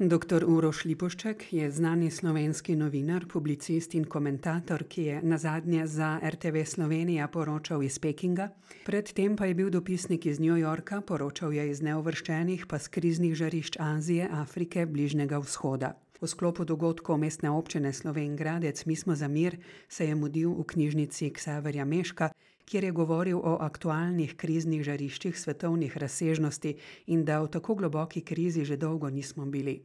Dr. Uroš Lipušček je znani slovenski novinar, publicist in komentator, ki je nazadnje za RTV Slovenija poročal iz Pekinga. Predtem pa je bil dopisnik iz New Yorka, poročal je iz neuvrščenih pa s kriznih žarišč Azije, Afrike, Bližnjega vzhoda. V sklopu dogodkov Mestne občine Slovenj Gradec Mi smo za mir se je mudil v knjižnici Ksaverja Meška, kjer je govoril o aktualnih kriznih žariščih svetovnih razsežnosti in da v tako globoki krizi že dolgo nismo bili.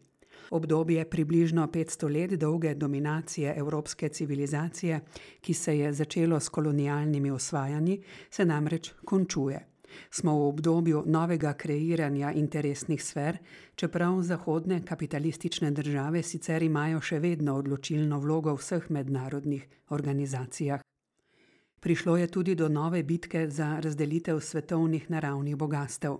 Obdobje približno 500 let dolge dominacije evropske civilizacije, ki se je začelo s kolonialnimi osvajanji, se namreč končuje. Smo v obdobju novega kreiranja interesnih sfer, čeprav zahodne kapitalistične države sicer imajo še vedno odločilno vlogo v vseh mednarodnih organizacijah. Prišlo je tudi do nove bitke za razdelitev svetovnih naravnih bogastev.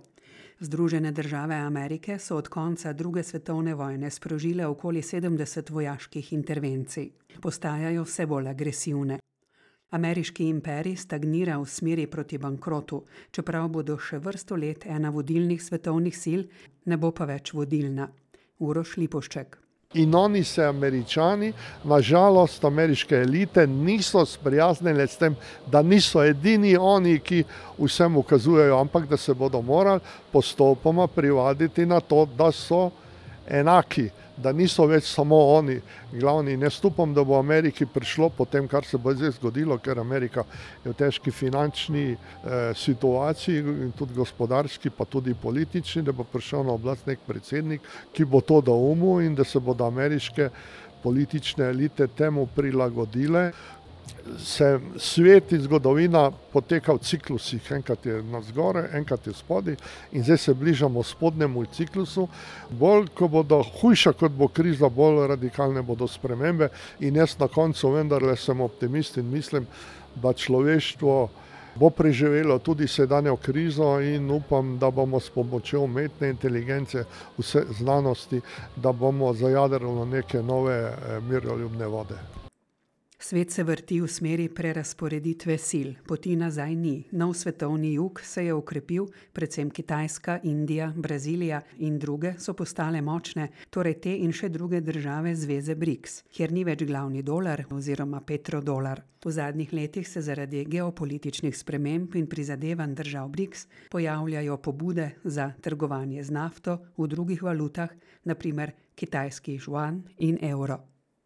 Združene države Amerike so od konca druge svetovne vojne sprožile okoli 70 vojaških intervencij. Postajajo vse bolj agresivne. Ameriški imperij stagnira v smeri proti bankrotu, čeprav bodo še vrsto let ena vodilnih svetovnih sil, ne bo pa več vodilna. Uroš Lipušček. In oni se, Američani, nažalost, ameriške elite niso sprijaznili s tem, da niso edini oni, ki vsem ukazujejo, ampak da se bodo morali postopoma privaditi na to, da so enaki, da niso več samo oni glavni. Ne upam, da bo Ameriki prišlo po tem, kar se bo zdaj zgodilo, ker Amerika je v težki finančni situaciji in tudi gospodarski, pa tudi politični, da bo prišel na oblast nek predsednik, ki bo to doumel in da se bodo ameriške politične elite temu prilagodile. Se svet in zgodovina poteka v ciklusih, enkrat je navzgore, enkrat je spodaj in zdaj se bližamo spodnjemu ciklusu. Bolj, ko bodo hujša, kot bo kriza, bolj radikalne bodo spremembe in jaz na koncu vendarle sem optimist in mislim, da človeštvo bo preživelo tudi sedanjo krizo in upam, da bomo s pomočjo umetne inteligence, vse znanosti, da bomo zajadrali neke nove miroljubne vode. Svet se vrti v smeri prerasporeditve sil, poti nazaj ni. Nov svetovni jug se je okrepil, predvsem Kitajska, Indija, Brazilija in druge so postale močne, torej te in še druge države zveze BRICS, kjer ni več glavni dolar oziroma petrodolar. V zadnjih letih se zaradi geopolitičnih sprememb in prizadevanj držav BRICS pojavljajo pobude za trgovanje z nafto v drugih valutah, na primer kitajski juan in evro.